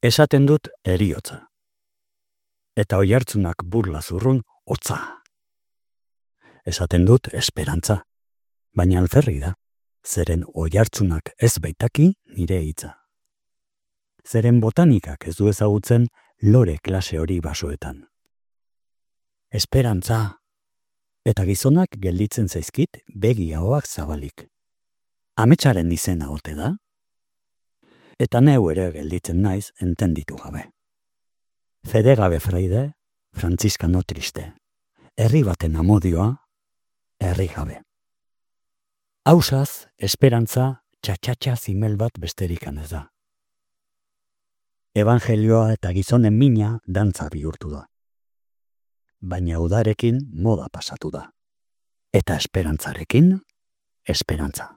Esaten dut eriotza. Eta oihartzunak burla zurrun hotza. Esaten dut esperantza. Baina alferri da. Zeren oihartzunak ez baitaki nire hitza. Zeren botanikak ez du ezagutzen lore klase hori basoetan. Esperantza. Eta gizonak gelditzen zaizkit begi ahoak zabalik. Ametsaren izena ote da? Eta neu ere gelditzen naiz entenditu gabe. Fede gabe fraide, frantziskano triste. Herri baten amodioa, herri gabe. Hausaz, esperantza, txatxatxa zimel bat besterikan ez da. Evangelioa eta gizonen mina dantza bihurtu da. Baina udarekin moda pasatu da. Eta esperantzarekin, esperantza.